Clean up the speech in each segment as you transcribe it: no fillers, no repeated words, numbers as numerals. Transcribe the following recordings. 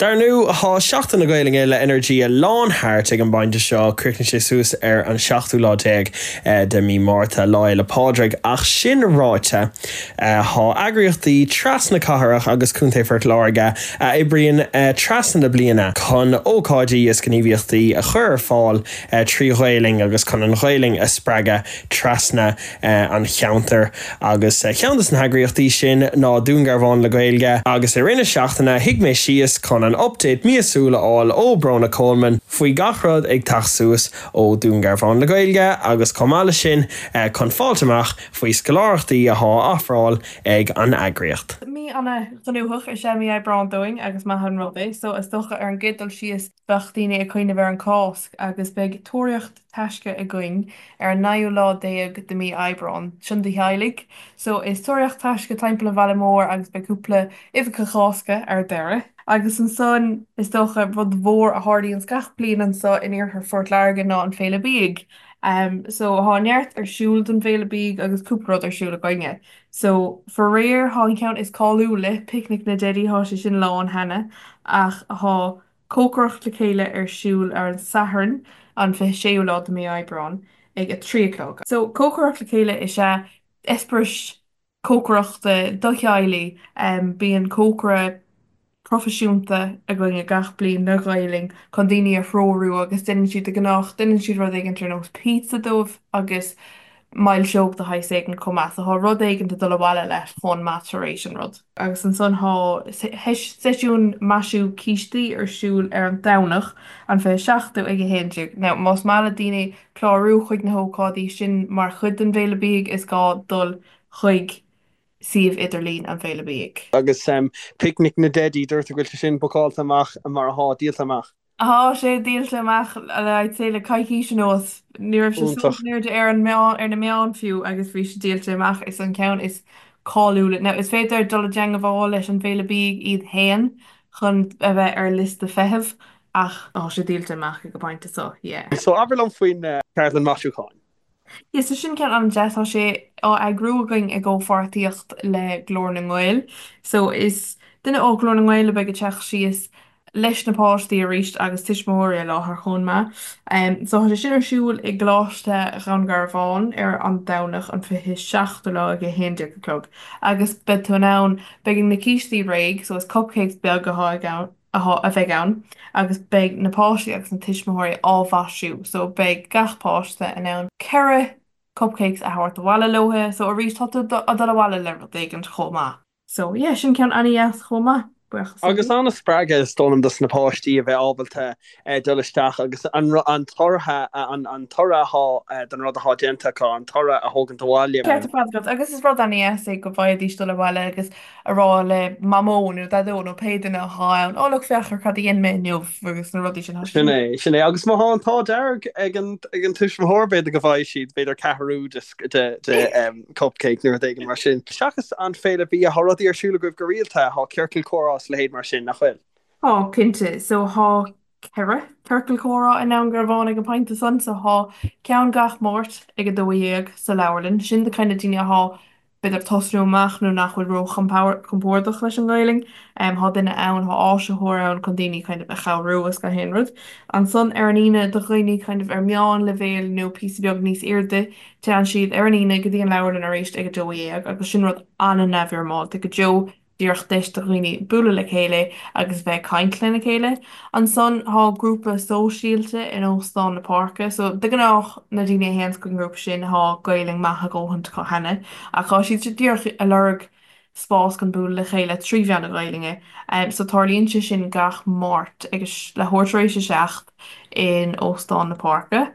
Dar ndóigh, tá Seachtain na Gaelainne le Energia lán thart ag an bpointe seo, chríochnaigh sé suas ar an seachtú lá déag de mí Márta, Lá Fhéile Pádraig. Ach sin ráite, tá eagraíochtaí trasna cathrach agus Contae Phort Láirge a oibríonn trasna na bliana chun ócáidí is gníomhaíochtaí a chur ar fáil trí Ghaelainn agus chun an Ghaelainn a spreagadh trasna an cheantair agus ceann de na heagraíochtaí sin ná Dún Garbhán le Gaeilge agus i rith na seachtaine shuigh mé síos chun an update míosúil a fháil ó Bróna Coleman faoi gach rud ag teacht suas ó Dún Garbhán le Gaeilge agus chomh maith leis sin chun fáilt amach faoi scoláireachtaí athá á ofráil ag an eagraíocht. Mí ana-ghnóthach is ea mí Aibreáin dúinn agus maith an rud é so is dócha ar an gcéad dul síos bheadh daoine ag cuimhneamh ar an Cásc agus beidh tóraíocht taisce againn ar an naoú lá déag de mí Aibreáin. Sin do theaghlaigh. So is tóraíocht taisce timpeall an bhaile mór agus beidh cúpla uibheacha Cásca ar deireadh. Agus ansan is dócha rud mhór a tharlaíonns gach bliain anso in iarthar Phort Láirge ná an Féile Bídh. So thá neart ar siúl don bhFéile Bídh agus cúpla rud ar siúl againne. So faraor thá an ceann is cáiliúla, Picnic na dTeidí, thá sé sin lán cheana ach thá Cócaireacht le Chéile ar siúl ar an Satharn an 26ú lá de mí Aibreáin ag 3 a chlog. So Cócaireacht le Chéile is ea eispéireas cócaireachta do theaghlaigh. Bíonn cócaire proifisiúnta againne gach bliain le Gaelainn chun daoine a threorú agus déanann siad de gnách, déanann siad rud éigin ar nós pizza dóibh agus milseog de shaghas éigin chomh maith. So thá rud éigin dul abhaile leat chomh maith tar éis an rud. Agus ansan thá seisiún maisiú cístí ar siúl ar an Domhnach an 27ú ag 11. Now más maith le daoine clárú chuig na hócáidí sin mar chuid den bhFéile Bídh is gá dul chuig suíomh idirlín an Bhféile Bídh. Agus Picnic na dTeidí, dúirt tú go bhfuil sé sin bookáilte amach mar athá, díolta amach. Thá sé díolta amach le I'd say le coicís anuas. Ní raibh sé suas in airde ar an meán, ar na meáin fiú agus bhí sé díolta amach. Is an ceann is cáiliúla. Now is féidir dul i dteangmháil leis an bhFéile Bídh iad fhéin chun a bheith ar liosta feithimh ach tá sé díolta amach ag an bpointe so, yeah. So abair liom faoin cheardlann maisiúcháin. Yeah, so sin ceann an-deas, tá sé á eagrú againn i gcomhpháirtíocht le Glór na nGael. So is duine ó Ghlór na nGael a bheidh ag teacht síos leis na páistí arís agus tuismitheoirí i láthair chomh maith. So tá sé sin ar siúl i gColáiste Dhún Garbhán ar an Domhnach an 27ú lá ag 11 a chlog agus beidh tú in ann, beidh na cístí réidh, so is cupcakes beag atá ag ann, atá, a bheidh ann agus beidh na páistí agus na tuismitheoirí á mhaisiú so beidh gach páiste in ann 4 cupcakes a thabhairt abhaile leo so arís tá tú ag dul abhaile le rud éigin chomh maith. So yeah sin ceann an-dheas chomh maith, buíochas le Agus Dia. an-spreagadh is dóigh liom dos na páistí a bheith ábalta dul isteach agus an an toradh an an toradh athá don rud athá déanta acu, an toradh a thógaint abhaile. Ceart ar fad agat agus is rud an-dheas é go bhfaighidís dul abhaile agus a rá le Mamó nó Daideo nó pé duine athá ann, 'Ó look, féach ar cad a dhein mé inniu' agus na rudaí sin. Tá Sin é, sin é. Agus má thá an t-ádh dearg ag an, ag an tuismitheoir, b'fhéidir go bhfaighidh siad, b'fhéidir ceathrú de, de, de cupcake nó rud éigin mar sin. Seachas an Féile Bia, thá rudaí ar siúl agaibh go rialta, thá ciorcal comhrá is a leithéid mar sin, nach bhfuil? Tá, cinnte. So thá 4 ciorcal comhrá i nDún Garbhán ag an bpointe san, so thá ceann gach Máirt ag 12 sa leabharlann. Sin do kind of daoine athá b'fhéidir tosnú amach nó nach bhfuil ró-chompordach leis an nGaelainn. Thá duine ann, thá áisitheoir ann chun daoine kind of a chabhrú is gach aon rud. Ansan ar an Aoine do dhaoine kind of ar meánleibhéal nó píosa beag níos airde, téann siad ar an Aoine go dtí an leabharlann arís ag 12 agus sin rud an-neamhfhoirmeálta go deo. díreach deis do dhaoine bualadh le chéile agus bheith ag caint lena chéile. Ansan thá grúpa sóisialta in Óstán na Páirce so de gnách na daoine a théanns chuig an ngrúpa sin thá Gaelainn maith a dhóthaint acu cheana ach thá siad díreach ag lorg spás chun bualadh le chéile trí mheán na Gaelainne. So tarlaíonn sé sin gach Máirt ag leathuair tar éis a 7 in Óstán na Páirce.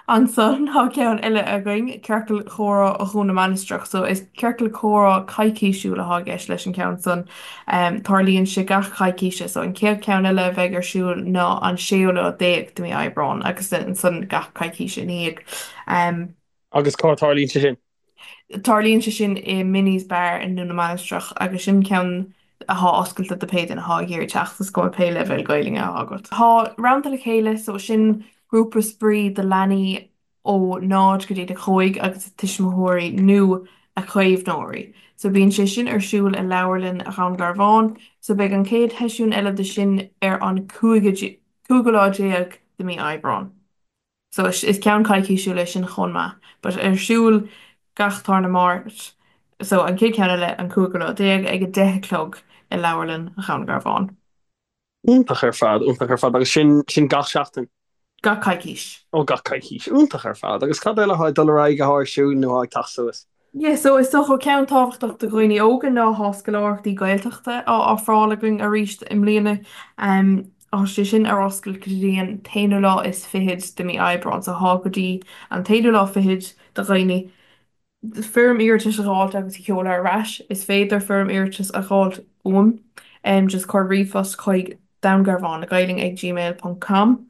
Ansan tá ceann eile againn, Ciorcal Comhrá Dhún na Mainistreach. So is ciorcal comhrá coicísiúil atá i gceist leis an cheann san. Tarlaíonn sé gach coicíse. So an chéad cheann eile a bheidh ar siúl ná an séú lá déag de mí Aibreán agus ansan gach coicís ina dhiaidh. Agus cá tarlaíonn sé sin? Tarlaíonn sé sin i Minnie's Bar i nDún na Mainistreach agus sin ceann athá oscailte do pé duine athá ag iarraidh teacht, is cuma pé leibhéal Gaelainne athá agat. Tá Rannta le Chéile, so sin grúpa spraoi do leanaí ó 0 go dtí 5 agus a tuismitheoirí nó a caomhnóirí. So bíonn sé sin ar siúl i Leabharlann Dhún Garbhán. So beidh an chéad sheisiún eile de sin ar an 15ú lá de mí Aibreán. So is ceann coicísiúil é sin chomh maith. But ar siúl gach tarna Máirt. So an chéad cheann eile an 15ú lá ag 10 a chlog i Leabharlann Dhún Garbhán. Iontach ar fad, iontach ar fad. Agus sin, sin gach seachtain? Gach coicís. Ó, gach coicís. Iontach ar fad. Agus cad eile atá ag dul ar aghaidh, atá ar siúl nó atá ag teacht suas? Yeah, so is dócha ceann tábhachtach do dhaoine óga ná tá scoláireachtaí Gaeltachta á ofráil againn arís i mbliana. Tá sé sin ar oscailt go dtí an t-aonú lá is fichead de mí Aibreán, so tá go dtí an t-aonú lá fichead do dhaoine foirm iarratais a dh'fháilt agus a sheoladh ar ais. Is féidir foirm iarratais a dh'fháilt uaim, just cuir ríomhphost chuig Dúngarbhán le Gaeilge ag gmail ponc com.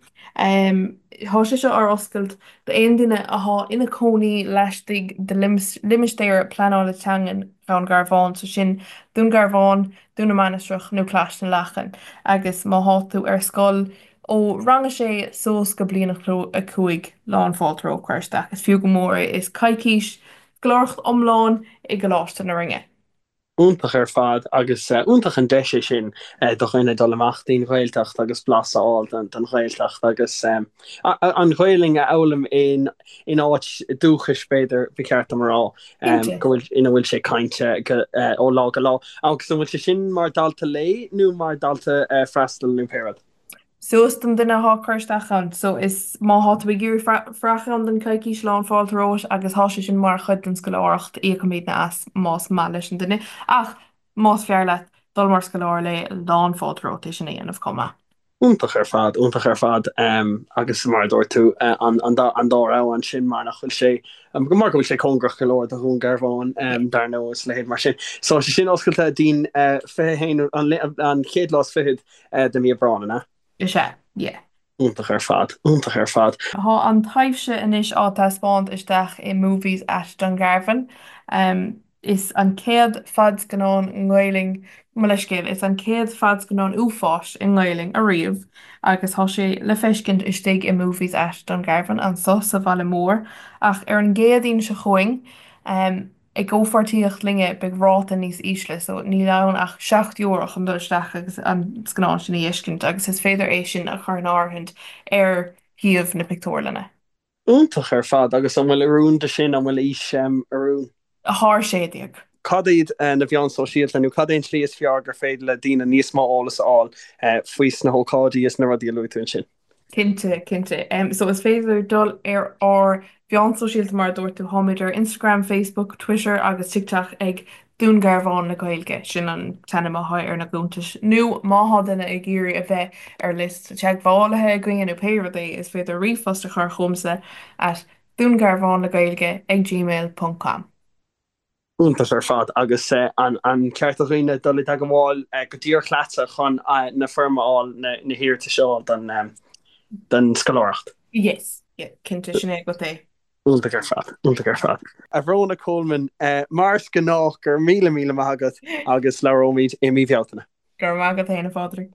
Tá sé seo ar oscailt d'aon duine athá ina cónaí laistigh de limistéar pleanála teangan Dhún Garbhán, so sin Dún Garbhán, Dún na Mainistreach nó Clais na Lachan, agus má thá tú ar scoil ó rang a sé suas go bliain a 5, lán fáilte romhat cur isteach. Is fiú go mór é. Is coicís scoláireacht iomlán i gColáiste na Rinne. Iontach ar fad agus iontach an deis é sin do dhuine dul amach dtí'n Ghaeltacht agus blas a fháil den Ghaeltacht agus an Ghaelainn a fhoghlaim in áit dúchais b'fhéidir, ba cheart dom a rá, go bhfuil, ina bhfuil sé cainte ó lá go lá. Agus an bhfuil sé sin mar dalta lae nó mar dalta freastail nó pé rud? So is don duine athá ag cur isteach ann. So is má thá tú ag iarraidh freach ann don coicís lán fáilte romhat agus thá sé sin mar chuid den scoláireacht, íocaimidne as más maith leis an duine. Ach más fearr leat dul mar scoláire lae, lán fáilte romhat é sin a dhéanamh chomh maith. Iontach ar fad, iontach ar fad agus mar a dúirt tú an dá rogha ansin mar nach bhfuil sé, mar go bhfuil sé cóngarach go leor do Dhún Garbhán dar ndóigh is a leithéid mar sin. So tá sé sin oscailte dtí'n 21, an chéad lá is fichead de mí Aibreán, an ea? Is ea, yeah. Iontach ar fad, iontach ar fad. Tá an taibhse anois á taispeáint isteach i Movies at Dungarvan. Is an chéad fadscannán i nGaelainn, mo leithscéal, is an chéad fadscannán uafáis i nGaelainn ariamh agus tá sé le feiscint istigh i Movies at Dungarvan anso sa bhaile mór ach ar an gCéadaoin seo chugainn I gcomhpháirtíocht linne beidh ráta níos ísle so níl ann ach €7 chun dul isteach agus an scannán sin a fheiscint agus is féidir é sin a chur in áirithint ar shuíomh na pictiúrlainne. Iontach ar fad agus an bhfuil oiriúin do sin, an bhfuil aois oiriúin? Thar 16. Cad iad na mheáin sóisialta nó cad é an tslí is fearr gur féidir le daoine níos mó eolas a fháil faoi sna hócáidí is na rudaí a luaigh tú ansin? Cinnte, cinnte. So is féidir dul ar ár mheáin sóisialta mar a dúirt tú, táimid ar Instagram, Facebook, Twitter agus TikTok ag Dún Garbhán le Gaeilge, sin an t-ainm atá ar na cuntais. Nó má thá duine ag iarraidh a bheith ar liosta teagmhálaithe againne nó pé rud é, is féidir ríomhphost a chur chugamsa at dúngarbhánlegaeilge ag gmail ponc com. Iontach ar fad. Agus an ceart do dhaoine dul i dteagmháil go díreach leatsa chun na foirm a fháil, na hiarratais a fháil don scoláireacht? Yes, yeah, cinnte, sin é agat é. Iontach ar fad, iontach ar fad. A Bhróna Coleman, mar is gnách, go raibh míle míle maith agat agus labhróimid i mí Bhealtaine. Go raibh maith agat féin, a Phádraig.